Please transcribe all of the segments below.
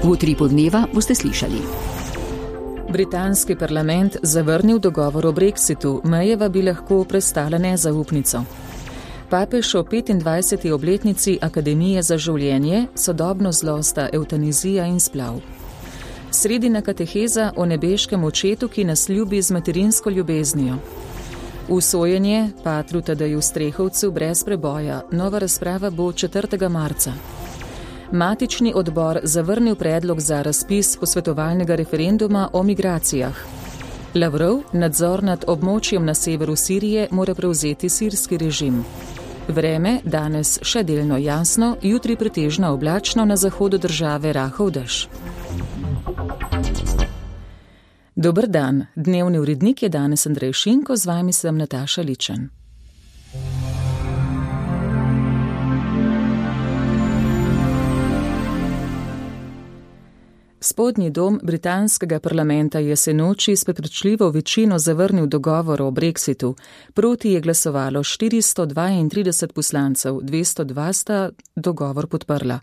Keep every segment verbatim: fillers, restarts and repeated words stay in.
V Utripu dneva boste slišali. Britanski parlament zavrnil dogovor o brexitu, Mayeva bi lahko prestala nezaupnico. Papež o petindvajseti obletnici Akademije za življenje, sodobno zlo sta evtanizija in splav. Sredina kateheza o nebeškem očetu, ki nas ljubi z materinsko ljubeznijo. Usojenje patru Tadeju Strehovcu brez preboja, nova razprava bo četrtega marca. Matični odbor zavrnil predlog za razpis posvetovalnega referenduma o migracijah. Lavrov nadzor nad območjem na severu Sirije mora prevzeti sirski režim. Vreme danes še delno jasno, jutri pretežno oblačno, na zahodu države rahel dež. Dober dan, dnevni urednik je danes Andrej Šinko, z vami sem Nataša Ličen. Spodnji dom britanskega parlamenta je sinoči s prepričljivo večino zavrnil dogovor o brexitu. Proti je glasovalo štiristo dvaintrideset poslancev, dvesto dva sta dogovor podprla.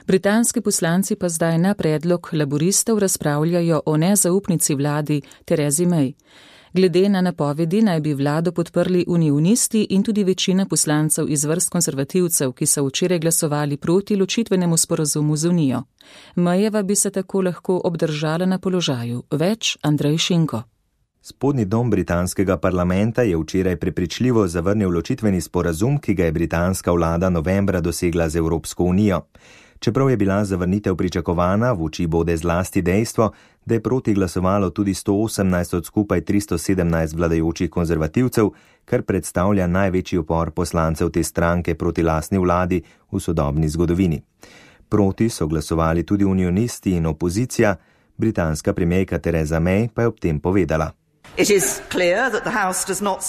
Britanski poslanci pa zdaj na predlog laboristov razpravljajo o nezaupnici vladi Theresi May. Glede na napovedi naj bi vlado podprli unionisti in tudi večina poslancev iz vrst konservativcev, ki so včeraj glasovali proti ločitvenemu sporazumu z Unijo. Mayeva bi se tako lahko obdržala na položaju. Več Andrej Šinko. Spodnji dom britanskega parlamenta je včeraj prepričljivo zavrnil ločitveni sporazum, ki ga je britanska vlada novembra dosegla z Evropsko unijo. Čeprav je bila zavrnitev pričakovana, v oči bode zlasti dejstvo, da je proti glasovalo tudi sto osemnajst od skupaj tristo sedemnajst vladajočih konzervativcev, kar predstavlja največji upor poslancev te stranke proti lastni vladi v sodobni zgodovini. Proti so glasovali tudi unionisti in opozicija, britanska premierka Theresa May pa je ob tem povedala.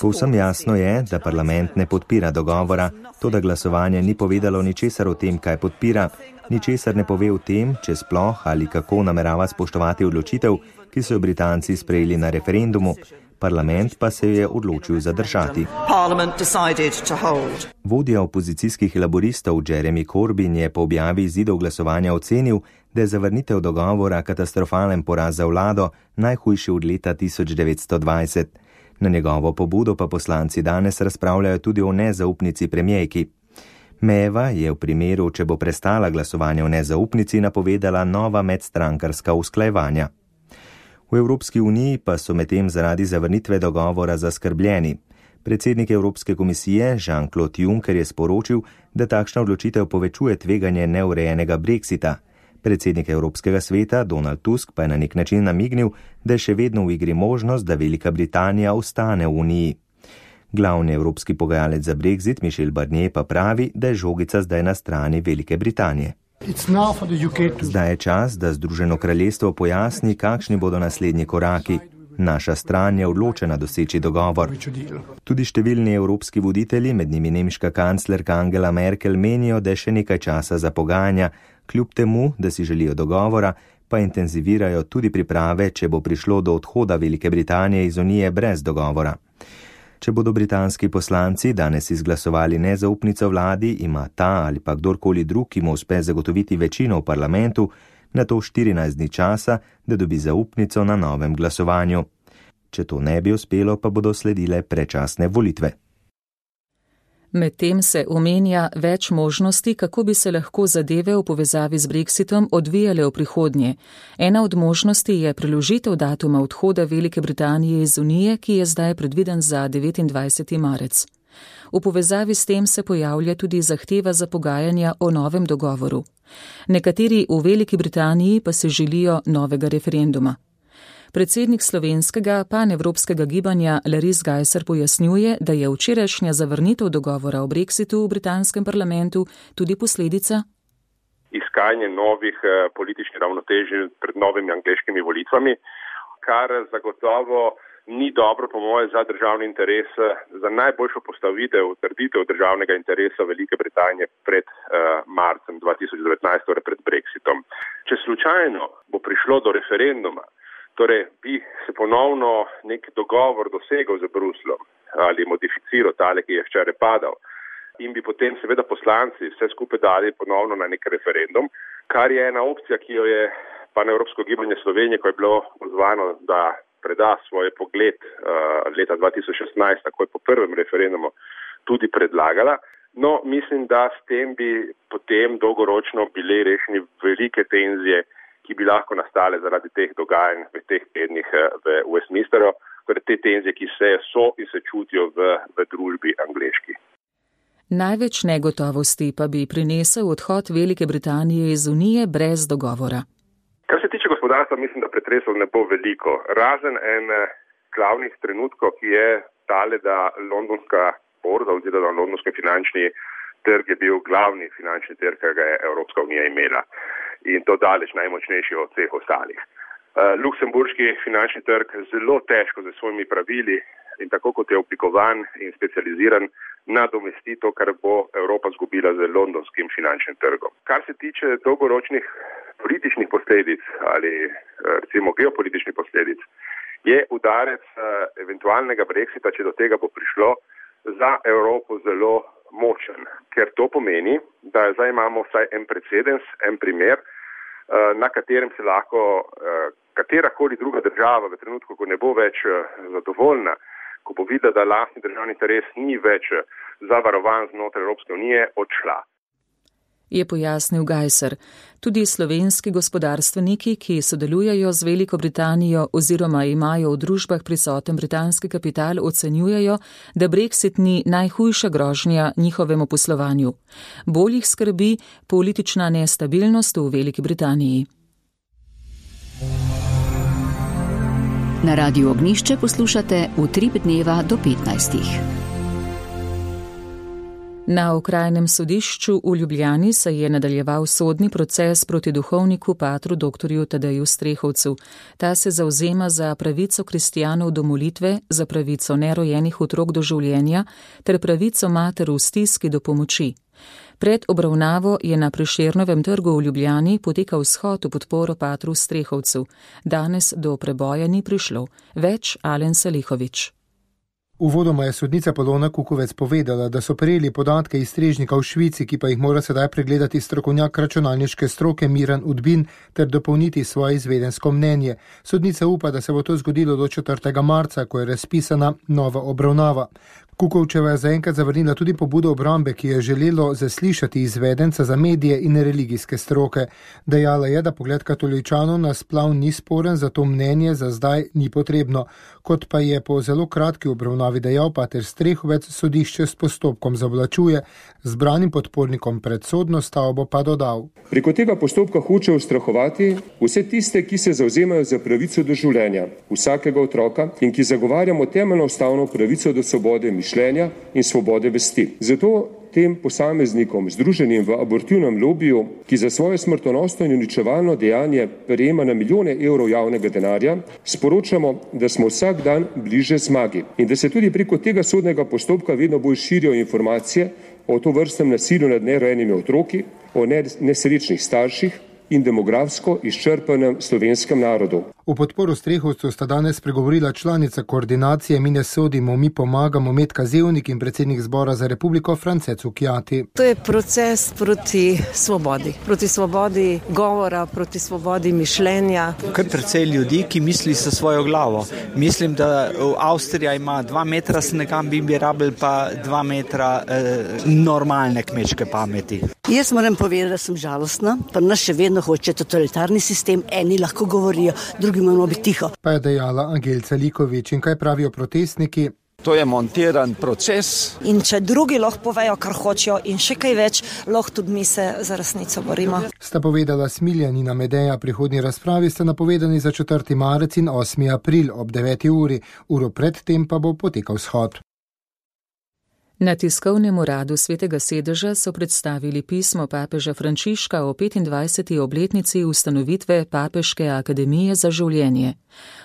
Povsem jasno je, da parlament ne podpira dogovora, to da glasovanje ni povedalo ničesar o tem, kaj podpira, ničesar ne pove o tem, če sploh ali kako namerava spoštovati odločitev, ki so jo Britanci sprejeli na referendumu. Parlament pa se je odločil zadržati. Vodja opozicijskih laboristov Jeremy Corbyn je po objavi izidov glasovanja ocenil, da je zavrnitev dogovora katastrofalen poraz za vlado, najhujši od leta tisoč devetsto dvajset. Na njegovo pobudo pa poslanci danes razpravljajo tudi o nezaupnici premierki. Mayeva je v primeru, če bo prestala glasovanje o nezaupnici, napovedala nova medstrankarska usklajevanja. V Evropski uniji pa so medtem zaradi zavrnitve dogovora zaskrbljeni. Predsednik Evropske komisije Jean-Claude Juncker je sporočil, da takšna odločitev povečuje tveganje neurejenega brexita. Predsednik Evropskega sveta Donald Tusk pa je na nek način namignil, da je še vedno v igri možnost, da Velika Britanija ostane v uniji. Glavni evropski pogajalec za brexit Michel Barnier pa pravi, da je žogica zdaj na strani Velike Britanije. Zdaj je čas, da Združeno kraljestvo pojasni, kakšni bodo naslednji koraki. Naša stran je odločena doseči dogovor. Tudi številni evropski voditelji, med njimi nemška kanclerka Angela Merkel, menijo, da je še nekaj časa za pogajanja, kljub temu, da si želijo dogovora, pa intenzivirajo tudi priprave, če bo prišlo do odhoda Velike Britanije iz Unije brez dogovora. Če bodo britanski poslanci danes izglasovali nezaupnico vladi, ima ta ali pa kdorkoli drug, ki mu uspe zagotoviti večino v parlamentu, na to štirinajst dni časa, da dobi zaupnico na novem glasovanju. Če to ne bi uspelo, pa bodo sledile predčasne volitve. Medtem se omenja več možnosti, kako bi se lahko zadeve v povezavi z brexitom odvijale v prihodnje. Ena od možnosti je preložitev datuma odhoda Velike Britanije iz Unije, ki je zdaj predviden za devetindvajseti marec. V povezavi s tem se pojavlja tudi zahteva za pogajanja o novem dogovoru. Nekateri v Veliki Britaniji pa se želijo novega referenduma. Predsednik slovenskega panevropskega gibanja Larry Gajser pojasnjuje, da je včerajšnja zavrnitev dogovora o brexitu v britanskem parlamentu tudi posledica iskanje novih eh, političnih ravnotežij pred novimi angleškimi volitvami, kar zagotovo ni dobro po moje za državni interes, za najboljšo postavitev, trditev državnega interesa Velike Britanije pred eh, marcem dva tisoč devetnajst, torej pred brexitom. Če slučajno bo prišlo do referenduma, torej bi se ponovno nek dogovor dosegel z Bruslom ali modificiral tale, ki je včeraj padal, in bi potem seveda poslanci vse skupaj dali ponovno na nek referendum, kar je ena opcija, ki jo je Panevropsko gibanje Slovenije, ko je bilo pozvano, da preda svoj pogled uh, leta dva tisoč šestnajst, takoj po prvem referendumu, tudi predlagala. No, mislim, da s tem bi potem dolgoročno bile rešeni velike tenzije, ki bi lahko nastale zaradi teh dogajanj v teh tednih v Westminsteru, torej te tenzije, ki se so in se čutijo v, v družbi angleški. Največ negotovosti pa bi prinesel odhod Velike Britanije iz Unije brez dogovora. Kar se tiče gospodarstva, mislim, da pretresov ne bo veliko. Razen en glavnih trenutkov, ki je tale, da londonska borza oziroma londonski finančni trg je bil glavni finančni trg, ki ga je Evropska unija imela. In to daleč najmočnejši od vseh ostalih. Uh, Luksemburški finančni trg zelo težko z svojimi pravili in tako kot je oblikovan in specializiran, nadomesti to, kar bo Evropa zgubila z londonskim finančnim trgom. Kar se tiče dolgoročnih političnih posledic ali recimo geopolitičnih posledic, je udarec uh, eventualnega brexita, če do tega bo prišlo, za Evropo zelo močen, ker to pomeni, da zdaj imamo vsaj en precedens, en primer, na katerem se lahko katerakoli druga država v trenutku, ko ne bo več zadovoljna, ko bo videla, da lastni državni interes ni več zavarovan znotraj Evropske unije, odšla. Je pojasnil Gajser. Tudi slovenski gospodarstveniki, ki sodelujejo z Veliko Britanijo oziroma imajo v družbah prisoten britanski kapital, ocenjujejo, da Brexit ni najhujša grožnja njihovemu poslovanju. Bolj jih skrbi politična nestabilnost v Veliki Britaniji. Na Radiu Ognjišče poslušate Utrip dneva do petnajstih. Na okrajnem sodišču v Ljubljani se je nadaljeval sodni proces proti duhovniku patru doktorju Tadeju Strehovcu. Ta se zavzema za pravico kristjanov do molitve, za pravico nerojenih otrok do življenja ter pravico mater v stiski do pomoči. Pred obravnavo je na Prešernovem trgu v Ljubljani potekal shod v podporo patru Strehovcu. Danes do preboja ni prišlo. Več Alen Salihovič. Uvodoma je sodnica Polona Kukovec povedala, da so prejeli podatke iz strežnika v Švici, ki pa jih mora sedaj pregledati strokovnjak računalniške stroke Miran Udbin ter dopolniti svoje izvedensko mnenje. Sodnica upa, da se bo to zgodilo do četrtega marca, ko je razpisana nova obravnava. Kukovčeva je zaenkrat zavrnila tudi pobudo obrambe, ki je želelo zaslišati izvedenca za medije in religijske stroke. Dejala je, da pogled katoličanov na splav ni sporen, zato mnenje za zdaj ni potrebno. Kot pa je po zelo kratki obravnavi dejal pater Strehovec, sodišče s postopkom zavlačuje, zbranim podpornikom pred sodno stavbo pa dodal. Preko tega postopka hoče ustrahovati vse tiste, ki se zavzemajo za pravico do življenja vsakega otroka in ki zagovarjamo temeljno ustavno pravico do svobode mišljenja in svobode vesti. Zato tem posameznikom, združenim v abortivnem lobiju, ki za svoje smrtonosno in uničevalno dejanje prejema na milijone evrov javnega denarja, sporočamo, da smo vsak dan bliže zmagi in da se tudi preko tega sodnega postopka vedno bolj širijo informacije o tovrstnem nasilju nad nerojenimi otroki, o nesrečnih starših in demografsko izčrpanem slovenskem narodu. V podporu Strehovcu sta danes pregovorila članica koordinacije Mi ne sodimo, mi pomagamo Metka Zevnik in predsednik Zbora za republiko France Cukjati. To je proces proti svobodi, proti svobodi govora, proti svobodi mišljenja. Kar precej ljudi, ki misli sa svojo glavo. Mislim, da Avstrija ima dva metra snegam, bi bi rabili pa dva metra eh, normalne kmečke pameti. Jaz moram povedati, da sem žalostna, pa nas še vedno hoče totalitarni sistem, eni lahko govorijo, drugi moramo biti tiho. Pa je dejala Angelca Likovič. In kaj pravijo protestniki? To je montiran proces. In če drugi lahko povejo, kar hočejo in še kaj več, lahko tudi mi se za resnico borimo. Sta povedala Smiljanina Medeja, prihodnji razpravi sta napovedani za četrti marec in osmi april ob deveti uri. Uro pred tem pa bo potekal shod. Na tiskovnem uradu Svetega sedeža so predstavili pismo papeža Frančiška o petindvajseti obletnici ustanovitve Papeške akademije za življenje.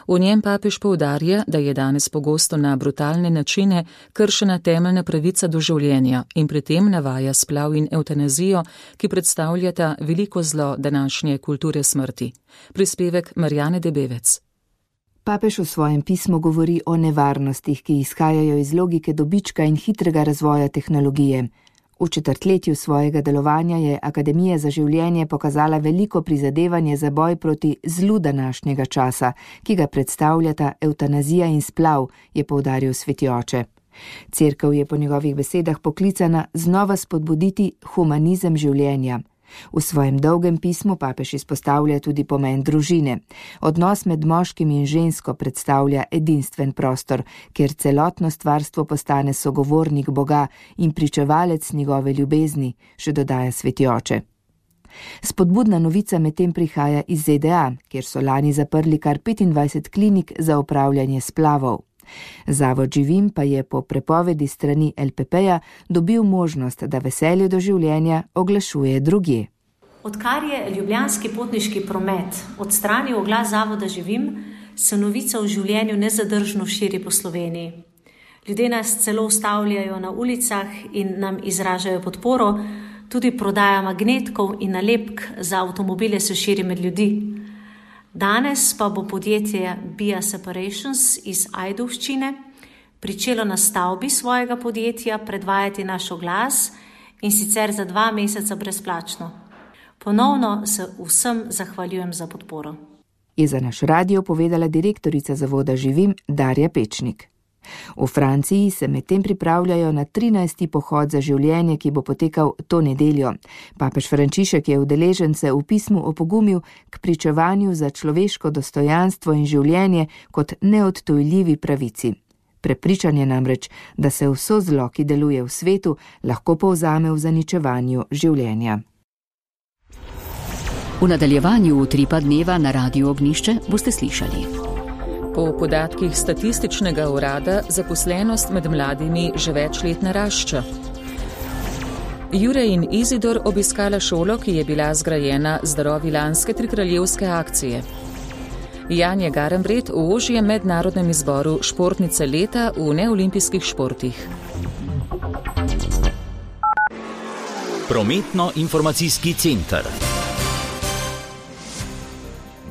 V njem papež poudarja, da je danes pogosto na brutalne načine kršena temeljna pravica do življenja in pri tem navaja splav in evtanazijo, ki predstavljata veliko zlo današnje kulture smrti. Prispevek Marjane Debevec. Papež v svojem pismu govori o nevarnostih, ki izhajajo iz logike dobička in hitrega razvoja tehnologije. V četrtletju svojega delovanja je Akademija za življenje pokazala veliko prizadevanje za boj proti zlu današnjega časa, ki ga predstavljata evtanazija in splav, je poudaril sveti oče. Cerkev je po njegovih besedah poklicana znova spodbuditi humanizem življenja. V svojem dolgem pismu papež izpostavlja tudi pomen družine. Odnos med moškim in žensko predstavlja edinstven prostor, kjer celotno stvarstvo postane sogovornik Boga in pričevalec njegove ljubezni, še dodaja sveti oče. Spodbudna novica medtem prihaja iz Z D A, kjer so lani zaprli kar petindvajset klinik za opravljanje splavov. Zavod Živim pa je po prepovedi strani L P P-ja dobil možnost, da veselje do življenja oglašuje drugje. Odkar je ljubljanski potniški promet odstranil oglas Zavoda Živim, se novica o življenju nezadržno širi po Sloveniji. Ljudje nas celo ustavljajo na ulicah in nam izražajo podporo, tudi prodaja magnetkov in nalepk za avtomobile se širi med ljudi. Danes pa bo podjetje Bia Separations iz Ajdovščine pričelo na stavbi svojega podjetja predvajati naš oglas in sicer za dva meseca brezplačno. Ponovno se vsem zahvaljujem za podporo. Je za naš radio povedala direktorica Zavoda Živim Darja Pečnik. V Franciji se medtem pripravljajo na trinajsti pohod za življenje, ki bo potekal to nedeljo. Papež Frančišek je udeležence v pismu opogumil k pričevanju za človeško dostojanstvo in življenje kot neodtujljivi pravici. Prepričan je namreč, da se vso zlo, ki deluje v svetu, lahko povzame v zaničevanju življenja. V nadaljevanju Utripa dneva na Radiu Ognjišče boste slišali. Po podatkih statističnega urada zaposlenost med mladimi že več let narašča. Jure in Izidor obiskala šolo, ki je bila zgrajena z darovi lanske trikraljevske akcije. Janja Garembret v ožjem mednarodnem izboru športnice leta v neolimpijskih športih. Prometno-informacijski center.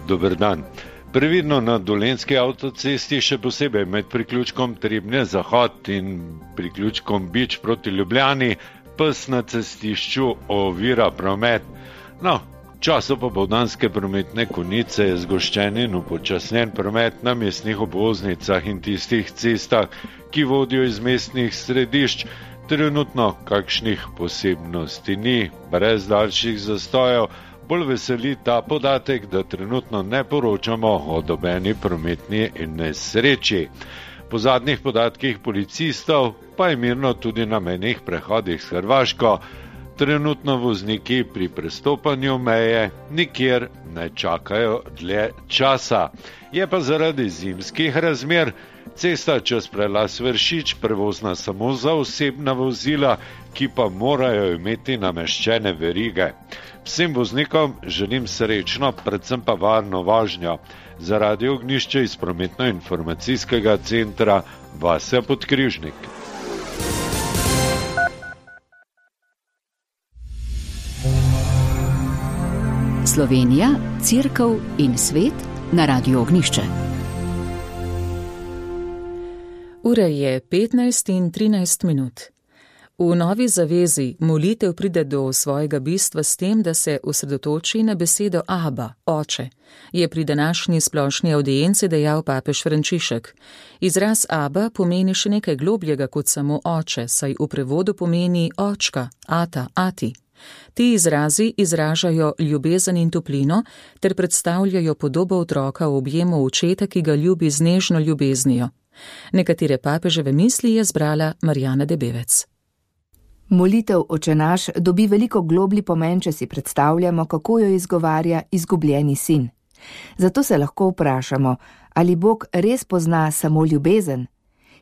Dober dan. Previdno na Dolenjski avtocesti, še posebej med priključkom Trebnje-Zahod in priključkom Bič proti Ljubljani, pes na cestišču ovira promet. No, času popoldanske prometne konice je zgoščen in upočasnjen promet na mestnih obvoznicah in tistih cestah, ki vodijo iz mestnih središč. Trenutno kakšnih posebnosti ni, brez daljših zastojev. Bolj veseli ta podatek, da trenutno ne poročamo o nobeni prometni nesreči. Po zadnjih podatkih policistov pa je mirno tudi na mejnih prehodih s Hrvaško. Trenutno vozniki pri prestopanju meje nikjer ne čakajo dlje časa. Je pa zaradi zimskih razmer cesta čez prelaz Vršič prevozna samo za osebna vozila, ki pa morajo imeti nameščene verige. Vsem voznikom želim srečno, predvsem pa varno vožnjo. Za Radio Ognjišče iz prometno-informacijskega centra Vasja Podkrižnik. Slovenija, Cerkev in svet na Radiu Ognjišče. Ura je petnajst in trinajst minut. V novi zavezi molitev pride do svojega bistva s tem, da se osredotoči na besedo Aba, oče, je pri današnji splošni avdienci dejal papež Frančišek. Izraz Aba pomeni še nekaj globljega kot samo oče, saj v prevodu pomeni očka, ata, ati. Ti izrazi izražajo ljubezen in toplino ter predstavljajo podobo otroka v objemu očeta, ki ga ljubi z nežno ljubeznijo. Nekatere papeževe misli je zbrala Marjana Debevec. Molitev Oče naš dobi veliko globlji pomen, če si predstavljamo, kako jo izgovarja izgubljeni sin. Zato se lahko vprašamo, ali Bog res pozna samo ljubezen?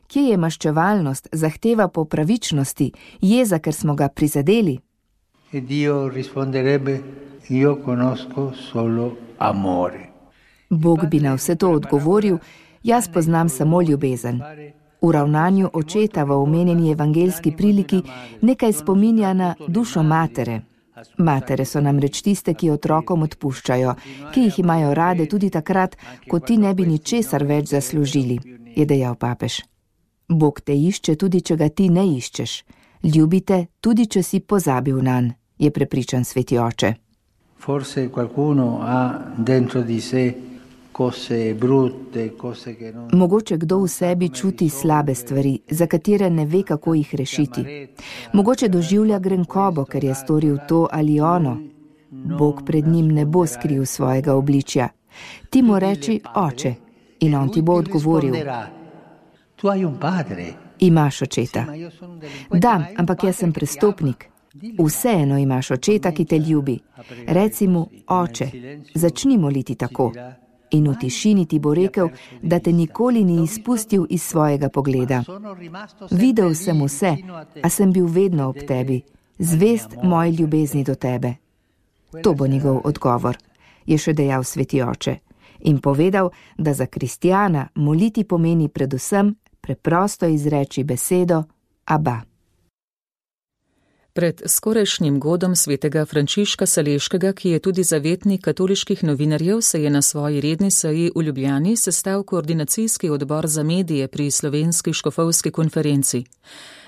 Kje je maščevalnost, zahteva po pravičnosti, jeza, ker smo ga prizadeli? E Dio risponderebbe, io conosco solo amore. Bog bi na vse to odgovoril, jaz poznam samo ljubezen. V ravnanju očeta v omenjeni evangeljski priliki nekaj spominja na dušo matere. Matere so namreč tiste, ki otrokom odpuščajo, ki jih imajo rade tudi takrat, ko ti ne bi ničesar več zaslužili, je dejal papež. Bog te išče tudi, če ga ti ne iščeš. Ljubite, tudi če si pozabil nanj, je prepričan sveti oče. Forse qualcuno ha dentro di sé cose brutte, cose che non... Mogoče kdo v sebi čuti slabe stvari, za katere ne ve, kako jih rešiti. Mogoče doživlja grenkobo, ker je storil to ali ono. Bog pred njim ne bo skril svojega obličja. Ti mu reči oče in on ti bo odgovoril. Imaš očeta. Da, ampak jaz sem prestopnik. Vseeno imaš očeta, ki te ljubi. Reci mu, oče, začni moliti tako. In v tišini ti bo rekel, da te nikoli ni izpustil iz svojega pogleda. Videl sem vse, a sem bil vedno ob tebi, zvest moji ljubezni do tebe. To bo njegov odgovor, je še dejal sveti oče. In povedal, da za kristjana moliti pomeni predvsem preprosto izreči besedo Aba. Pred skorajšnjim godom svetega Frančiška Saleškega, ki je tudi zavetnik katoliških novinarjev, se je na svoji redni seji v Ljubljani sestal koordinacijski odbor za medije pri Slovenski škofovski konferenci.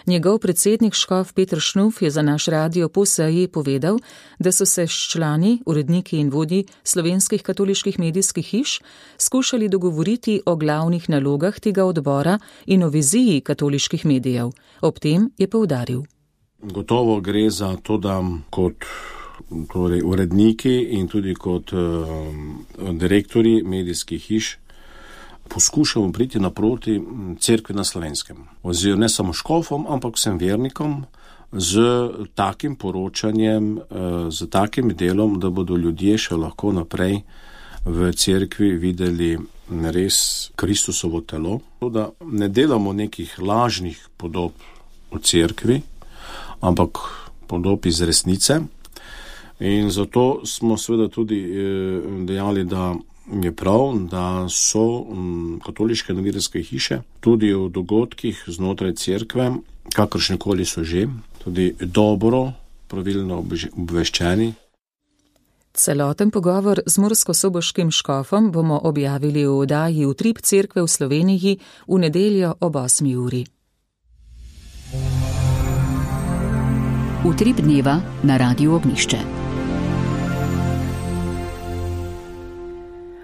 Njegov predsednik škof Peter Šnuf je za naš radio po seji povedal, da so se s člani, uredniki in vodji slovenskih katoliških medijskih hiš skušali dogovoriti o glavnih nalogah tega odbora in o viziji katoliških medijev. Ob tem je poudaril. Gotovo gre za to, da kot torej, uredniki in tudi kot uh, direktori medijskih hiš poskušamo priti naproti cerkvi na Slovenskem. Oziroma ne samo škofom, ampak vsem vernikom z takim poročanjem, uh, z takim delom, da bodo ljudje še lahko naprej v cerkvi videli res Kristusovo telo. Da ne delamo nekih lažnih podob o cerkvi, ampak podob iz resnice. In zato smo seveda tudi dejali, da je prav, da so katoliške novinarske hiše tudi v dogodkih znotraj cerkve, kakršnekoli so že, tudi dobro, pravilno obveščeni. Celoten pogovor z murskosoboškim škofom bomo objavili v oddaji Utrip cerkve v Sloveniji v nedeljo ob osmi uri. Utrip dneva na Radiu Ognjišče.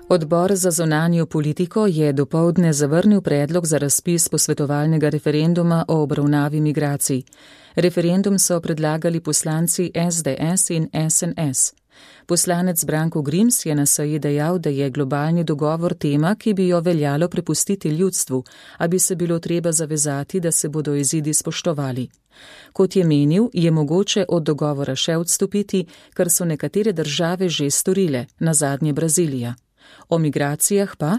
Odbor za zunanjo politiko je dopoldne zavrnil predlog za razpis posvetovalnega referenduma o obravnavi migracij. Referendum so predlagali poslanci S D S in S N S. Poslanec Branko Grims je na seji dejal, da je globalni dogovor tema, ki bi jo veljalo prepustiti ljudstvu, a bi se bilo treba zavezati, da se bodo izidi spoštovali. Kot je menil, je mogoče od dogovora še odstopiti, kar so nekatere države že storile, nazadnje Brazilija. O migracijah pa?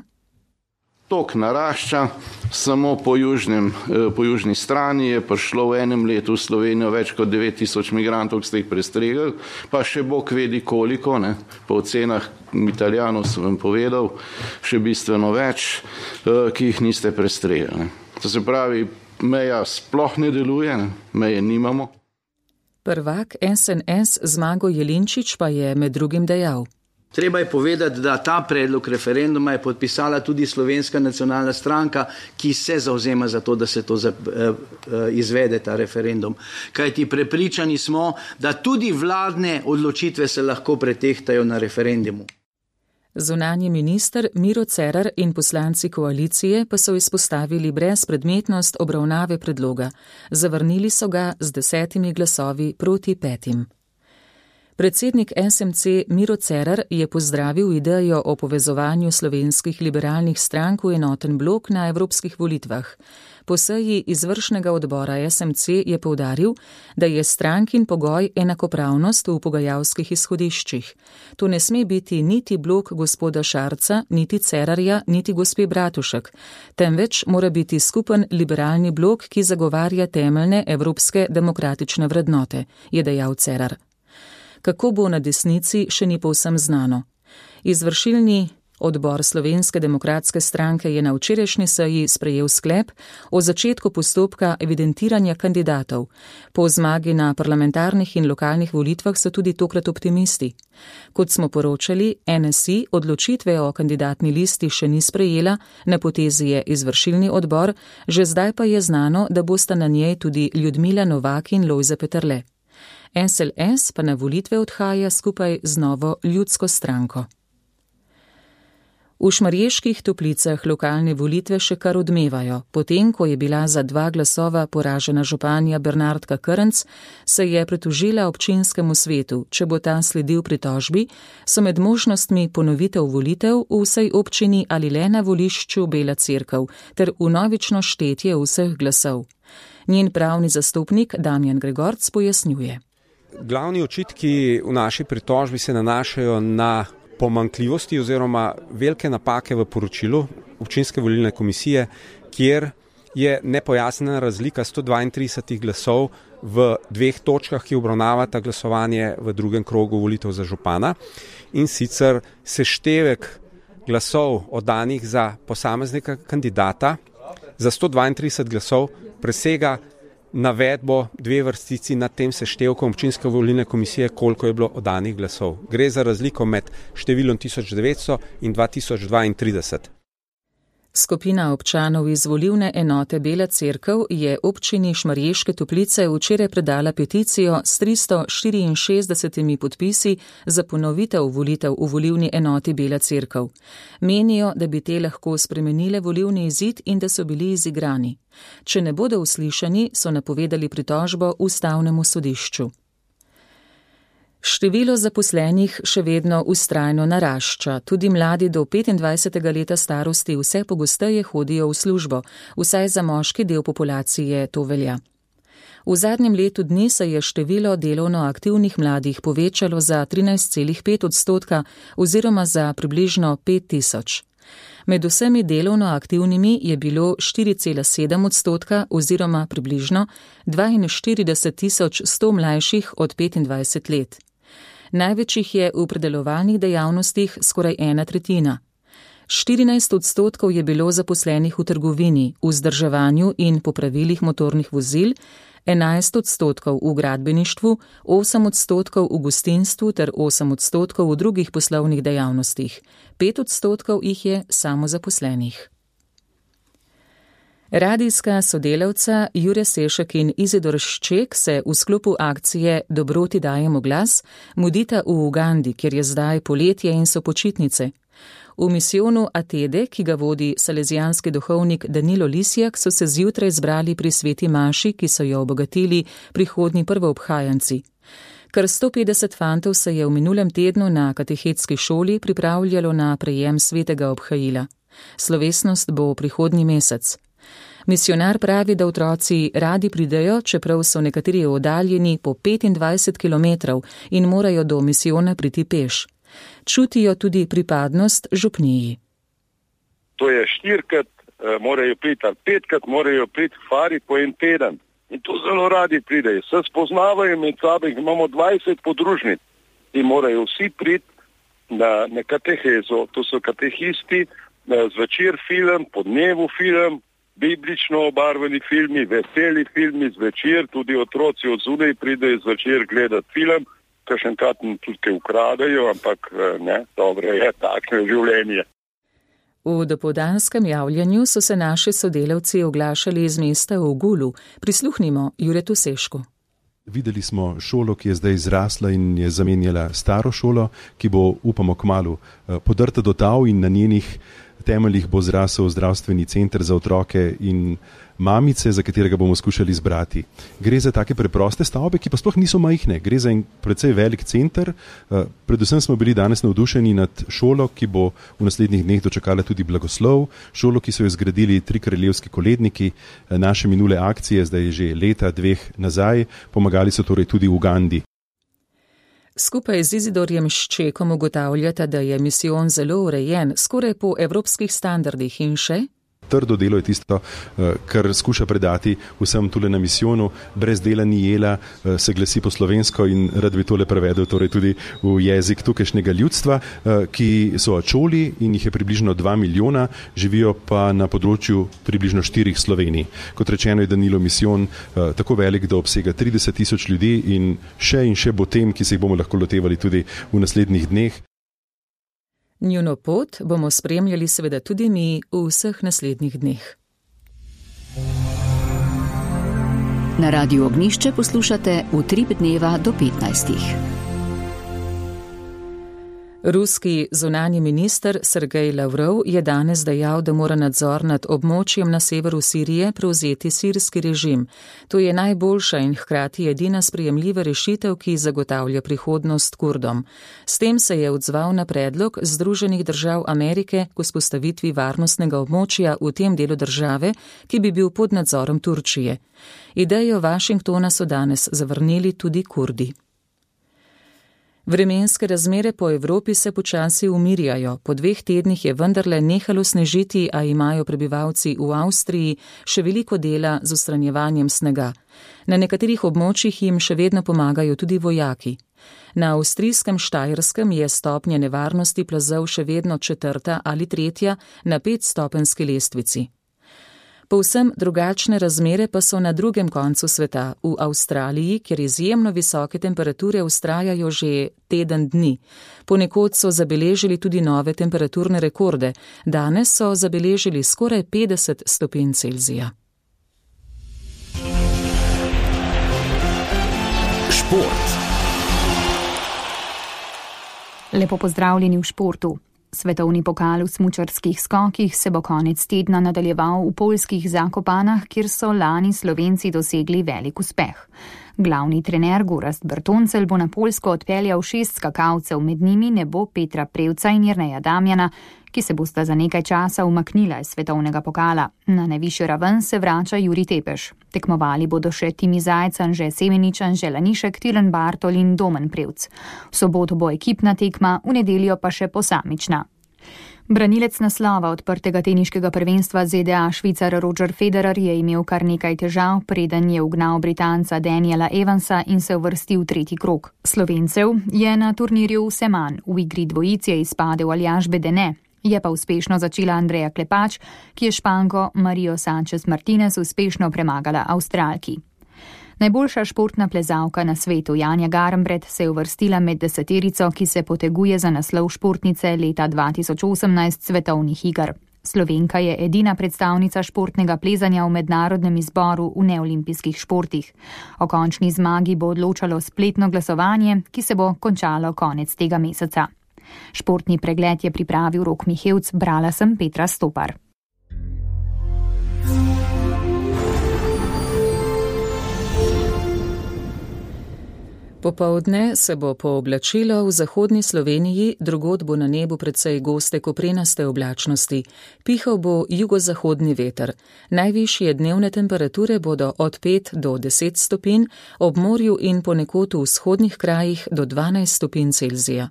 Tok narašča, samo po, južnem, po južni strani je prišlo v enem letu v Slovenijo več kot devet tisoč migrantov, ki ste jih prestregli, pa še Bog vedi koliko, ne? Po ocenah Italijanov sem vam povedal, še bistveno več, ki jih niste prestregli. To se pravi, meja sploh ne deluje, ne? Meje nimamo. Prvak S N S Zmago Jelinčič pa je med drugim dejal. Treba je povedati, da ta predlog referenduma je podpisala tudi Slovenska nacionalna stranka, ki se zauzema za to, da se to izvede, ta referendum. Kajti prepričani smo, da tudi vladne odločitve se lahko pretehtajo na referendumu. Zunanji minister Miro Cerar in poslanci koalicije pa so izpostavili brezpredmetnost obravnave predloga. Zavrnili so ga z desetimi glasovi proti petim. Predsednik S M C Miro Cerar je pozdravil idejo o povezovanju slovenskih liberalnih strank v enoten blok na evropskih volitvah. Po seji izvršnega odbora S M C je poudaril, da je strankin pogoj enakopravnost v pogajalskih izhodiščih. To ne sme biti niti blok gospoda Šarca, niti Cerarja, niti gospe Bratušek, temveč mora biti skupen liberalni blok, ki zagovarja temeljne evropske demokratične vrednote, je dejal Cerar. Kako bo na desnici, še ni povsem znano. Izvršilni Odbor Slovenske demokratske stranke je na včerajšnji seji sprejel sklep o začetku postopka evidentiranja kandidatov. Po zmagi na parlamentarnih in lokalnih volitvah so tudi tokrat optimisti. Kot smo poročali, N S I odločitve o kandidatni listi še ni sprejela, na potezi je izvršilni odbor, že zdaj pa je znano, da bosta na njej tudi Ljudmila Novak in Lojze Peterle. S L S pa na volitve odhaja skupaj z Novo ljudsko stranko. V Šmarjeških Toplicah lokalne volitve še kar odmevajo. Potem, ko je bila za dva glasova poražena županja Bernardka Krnc, se je pritožila občinskemu svetu. Če bo ta sledil pritožbi, so med možnostmi ponovitev volitev v vsej občini ali le na volišču Bela Cerkev ter vnovično štetje vseh glasov. Njen pravni zastopnik Damjan Gregorc pojasnjuje. Glavni očitki v naši pritožbi se nanašajo na pomanjkljivosti oziroma velike napake v poročilu občinske volilne komisije, kjer je nepojasnjena razlika sto dvaintrideset glasov v dveh točkah, ki obravnavata glasovanje v drugem krogu volitev za župana, in sicer seštevek glasov oddanih za posameznega kandidata za sto dvaintrideset glasov presega navedbo dve vrstici nad tem seštevkom občinske volilne komisije, koliko je bilo oddanih glasov. Gre za razliko med številom tisoč devetsto in dva tisoč dvaintrideset. Skupina občanov iz volilne enote Bela Cerkev je občini Šmarješke Toplice včeraj predala peticijo s tristo štiriinšestdesetimi podpisi za ponovitev volitev v volilni enoti Bela Cerkev. Menijo, da bi te lahko spremenile volilni izid in da so bili izigrani. Če ne bodo uslišani, so napovedali pritožbo Ustavnemu sodišču. Število zaposlenih še vedno vztrajno narašča. Tudi mladi do petindvajsetega leta starosti vse pogosteje hodijo v službo, vsaj za moški del populacije to velja. V zadnjem letu dni se je število delovno aktivnih mladih povečalo za trinajst celih pet odstotka oziroma za približno pet tisoč. Med vsemi delovno aktivnimi je bilo štiri celih sedem odstotka oziroma približno dvainštirideset tisoč sto mlajših od petindvajset let. Največ jih je v predelovalnih dejavnostih, skoraj ena tretjina. štirinajst odstotkov je bilo zaposlenih v trgovini, v vzdrževanju in popravilih motornih vozil, enajst odstotkov v gradbeništvu, osem odstotkov v gostinstvu ter osem odstotkov v drugih poslovnih dejavnostih. pet odstotkov jih je samozaposlenih. Radijska sodelavca Jure Sešek in Izidor Šček se v sklopu akcije Dobroti dajemo glas mudita v Ugandi, kjer je zdaj poletje in so počitnice. V misijonu Atede, ki ga vodi salezijanski duhovnik Danilo Lisjak, so se zjutraj zbrali pri sveti maši, ki so jo obogatili prihodnji prvoobhajanci. Kar sto petdeset fantov se je v minulem tednu na katehetski šoli pripravljalo na prejem svetega obhajila. Slovesnost bo prihodnji mesec. Misionar pravi, da otroci radi pridejo, čeprav so nekateri oddaljeni po petindvajset kilometrov in morajo do misijona priti peš. Čutijo tudi pripadnost župniji. To je štirikrat, morajo priti, ali petkrat morajo priti fari po en teden. In to zelo radi pridejo. Se spoznavajo med sabo, imamo dvajset podružnic in morajo vsi priti na, na katehezo. To so katehisti, zvečer film, po dnevu film, biblično obarvani filmi, veseli filmi zvečer, tudi otroci od zunaj pridejo zvečer gledati film, kakšen katen tudi ukradajo, ampak ne, dobro je, takšno življenje. V dopoldanskem javljanju so se naši sodelavci oglašali iz mesta v Gulu. Prisluhnimo Juretu Sešku. Videli smo šolo, ki je zdaj zrasla in je zamenjala staro šolo, ki bo, upamo, kmalu podrta do tal in na njenih temeljih bo zrasel zdravstveni center za otroke in mamice, za katerega bomo skušali zbrati. Gre za take preproste stavbe, ki pa sploh niso majhne. Gre za en precej velik center. Predvsem smo bili danes navdušeni nad šolo, ki bo v naslednjih dneh dočakala tudi blagoslov. Šolo, ki so jo zgradili tri kraljevski koledniki. Naše minule akcije, zdaj že leta, dveh nazaj, pomagali so torej tudi v Ugandi. Skupaj z Izidorjem Ščekom ugotavljata, da je misijon zelo urejen, skoraj po evropskih standardih in še. trdo delo je tisto, kar skuša predati vsem tule na misijonu. Brez dela ni jela, se glasi po slovensko in rad bi tole prevedel torej tudi v jezik tukajšnjega ljudstva, ki so ačoli in jih je približno dva milijona, živijo pa na področju približno štirih Slovenij. Kot rečeno je Danilo misijon tako velik, da obsega trideset tisoč ljudi in še in še bo tem, ki se jih bomo lahko lotevali tudi v naslednjih dneh. Njuno pot bomo spremljali seveda tudi mi v vseh naslednjih dneh. Na Radiu Ognišče poslušate Utrip dneva do petnajstih. Ruski zunanji minister Sergej Lavrov je danes dejal, da mora nadzor nad območjem na severu Sirije prevzeti sirski režim. To je najboljša in hkrati edina sprejemljiva rešitev, ki zagotavlja prihodnost Kurdom. S tem se je odzval na predlog Združenih držav Amerike k vzpostavitvi varnostnega območja v tem delu države, ki bi bil pod nadzorom Turčije. Idejo Washingtona so danes zavrnili tudi Kurdi. Vremenske razmere po Evropi se počasi umirjajo. Po dveh tednih je vendarle nehalo snežiti, a imajo prebivalci v Avstriji še veliko dela z odstranjevanjem snega. Na nekaterih območjih jim še vedno pomagajo tudi vojaki. Na avstrijskem Štajerskem je stopnja nevarnosti plazov še vedno četrta ali tretja na petstopenjski lestvici. Povsem drugačne razmere pa so na drugem koncu sveta, v Avstraliji, kjer izjemno visoke temperature vztrajajo že teden dni. Ponekod so zabeležili tudi nove temperaturne rekorde. Danes so zabeležili skoraj petdeset stopinj Celzija. Šport. Lepo pozdravljeni v športu. Svetovni pokal v smučarskih skokih se bo konec tedna nadaljeval v poljskih Zakopanah, kjer so lani Slovenci dosegli velik uspeh. Glavni trener Gorazd Bertoncelj bo na Poljsko odpeljal šest skakalcev, med njimi ne bo Petra Prevca in Jerneja Damjana, ki se bosta za nekaj časa umaknila iz svetovnega pokala. Na najvišjo raven se vrača Jurij Tepeš. Tekmovali bodo še Timi Zajec, Anže Semenič, Anže Lanišek, Tilen Bartol in Domen Prevc. V soboto bo ekipna tekma, v nedeljo pa še posamična. Branilec naslova odprtega teniškega prvenstva Z D A Švicar Roger Federer je imel kar nekaj težav, preden je ugnal Britanca Daniela Evansa in se uvrstil v tretji krog. Slovencev je na turnirju vse manj, v igri dvojic je izpadel Aljaž Bedene. Je pa uspešno začela Andreja Klepač, ki je Španko Marijo Sanchez Martinez uspešno premagala Avstralki. Najboljša športna plezalka na svetu Janja Garnbret se je uvrstila med deseterico, ki se poteguje za naslov športnice leta dva tisoč osemnajst svetovnih iger. Slovenka je edina predstavnica športnega plezanja v mednarodnem izboru v neolimpijskih športih. O končni zmagi bo odločalo spletno glasovanje, ki se bo končalo konec tega meseca. Športni pregled je pripravil Rok Mihevc, brala sem Petra Stopar. Popoldne se bo pooblačilo v zahodni Sloveniji, drugod bo na nebu precej goste koprenaste oblačnosti. Pihal bo jugozahodni veter. Najvišje dnevne temperature bodo od pet do deset stopinj, ob morju in ponekod v vzhodnih krajih do dvanajst stopinj Celzija.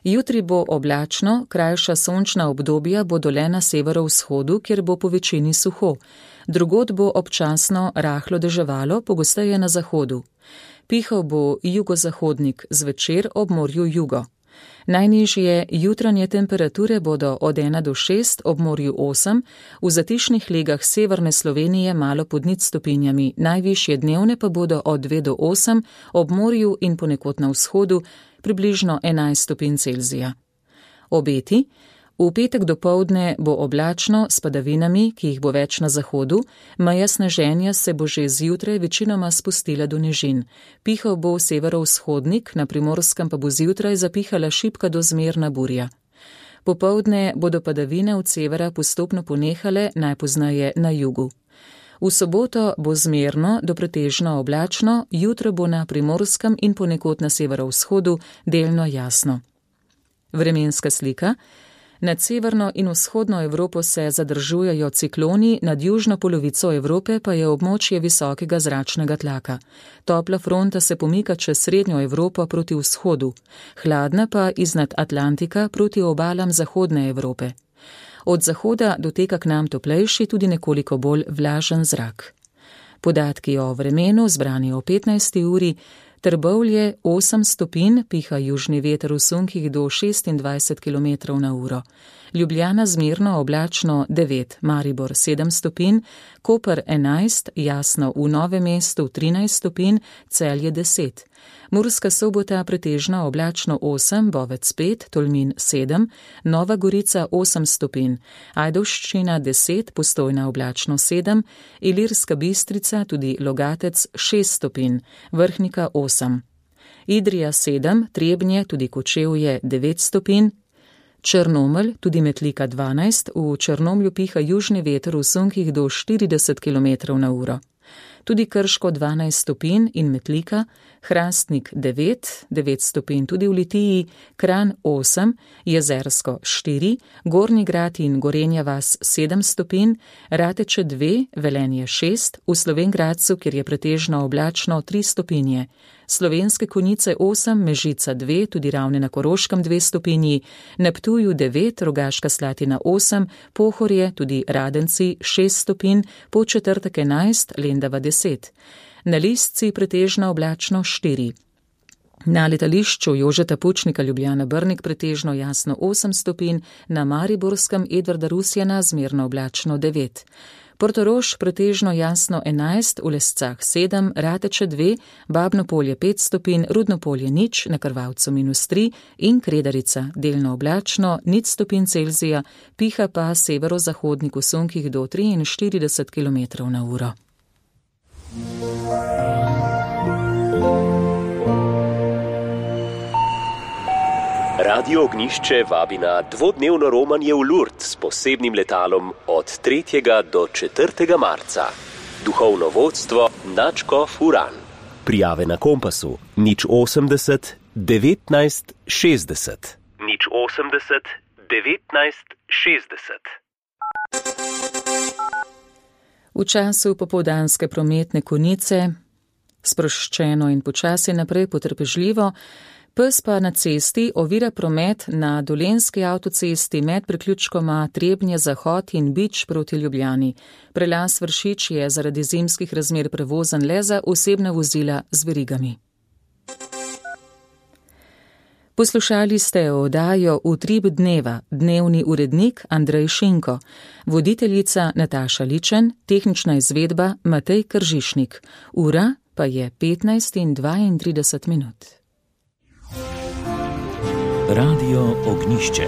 Jutri bo oblačno, krajša sončna obdobja bodo le na severovzhodu, kjer bo po večini suho. Drugod bo občasno rahlo deževalo, pogosteje na zahodu. Pihal bo jugozahodnik, zvečer ob morju jugo. Najnižje jutranje temperature bodo od ena do šest, ob morju osem, v zatišnih legah severne Slovenije malo pod nič stopinjami, najvišje dnevne pa bodo od dve do osem, ob morju in ponekod na vzhodu približno enajst stopinj Celzija. Obeti. V petek dopoldne bo oblačno s padavinami, ki jih bo več na zahodu, meja sneženja se bo že zjutraj večinoma spustila do nižin. Pihal bo severovzhodnik, na Primorskem pa bo zjutraj zapihala šibka do zmerna burja. Popoldne bodo padavine od severa postopno ponehale, najpozneje na jugu. V soboto bo zmerno do pretežno oblačno, jutro bo na Primorskem in ponekod na severovzhodu delno jasno. Vremenska slika. Nad severno in vzhodno Evropo se zadržujejo cikloni, nad južno polovico Evrope pa je območje visokega zračnega tlaka. Topla fronta se pomika čez srednjo Evropo proti vzhodu, hladna pa iznad Atlantika proti obalam zahodne Evrope. Od zahoda doteka k nam toplejši, tudi nekoliko bolj vlažen zrak. Podatki o vremenu zbrani o petnajsti uri. Trbovlje osem stopinj, piha južni veter v sunkih do šestindvajset kilometrov na uro. Ljubljana zmerno oblačno devet, Maribor sedem stopinj, Koper enajst, jasno v Novem mestu trinajst stopinj, Celje deset. Murska Sobota pretežno oblačno osem, Bovec pet, Tolmin sedem, Nova Gorica osem stopinj, Ajdovščina deset, Postojna oblačno sedem, Ilirska Bistrica, tudi Logatec šest stopinj, Vrhnika osem. Idrija sedem, Trebnje, tudi Kočevje devet stopinj, Črnomelj, tudi Metlika dvanajst, v Črnomlju piha južni veter v sunkih do štirideset kilometrov na uro. Tudi Krško dvanajst stopinj in Metlika, Hrastnik devet, devet stopinj tudi v Litiji, Kranj osem, Jezersko štiri, Gornji Grad in Gorenja vas sedem stopinj, Rateče dve, Velenje šest, v Slovenj Gradcu, kjer je pretežno oblačno tri stopinje, Slovenske Konjice osem, Mežica dve, tudi Ravne na Koroškem dve stopinji, na Ptuju devet, Rogaška Slatina osem, Pohorje, tudi Radenci šest stopinj, Podčetrtek enajst, Lendava deset. Na Listci pretežno oblačno štiri. Na letališču Jožeta Pučnika Ljubljana Brnik pretežno jasno osem stopinj, na Mariborskem Edvarda Rusjana zmerno oblačno devet. Portorož pretežno jasno enajst, v Lescah sedem, Rateče dve, Babno Polje pet stopinj, Rudno Polje nič, na Krvavcu minus tri in Kredarica delno oblačno, nič stopinj Celzija, piha pa severozahodnik v sunkih do triinštirideset kilometrov na uro. Radio Ognjišče vabi na dvodnevno romanje v Lourdes s posebnim letalom od tretjega do četrtega marca. Duhovno vodstvo nadškof Uran. Prijave na Kompasu nič osemdeset devetnajst šestdeset. nič osemdeset devetnajst šestdeset. V času popoldanske prometne konice, sproščeno in počasi naprej potrpežljivo, pes pa na cesti ovira promet na Dolenjski avtocesti med priključkoma Trebnje Zahod in Bič proti Ljubljani. Prelaz Vršič je zaradi zimskih razmer prevozen le za osebna vozila z verigami. Poslušali ste oddajo Utrip dneva, dnevni urednik Andrej Šinko, voditeljica Nataša Ličen, tehnična izvedba Matej Kržišnik. Ura pa je petnajst in dvaintrideset minut. Radio Ognjišče.